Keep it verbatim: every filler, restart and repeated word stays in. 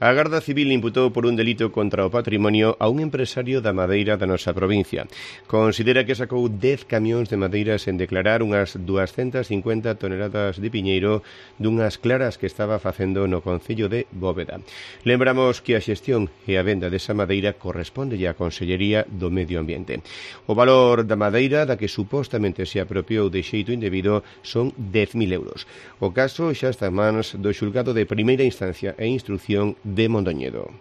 A Garda Civil imputou por un delito contra o patrimonio a un empresario da madeira da nosa provincia. Considera que sacou dez camións de madeira sen declarar unhas doscientas cincuenta toneladas de piñeiro dunhas claras que estaba facendo no concello de Bóveda. Lembramos que a xestión e a venda desa madeira corresponde á Consellería do Medio Ambiente. O valor da madeira da que supostamente se apropiou de xeito indebido son dez mil euros. O caso xa está en mans do xulgado de primeira instancia e instrucción de Mondoñedo.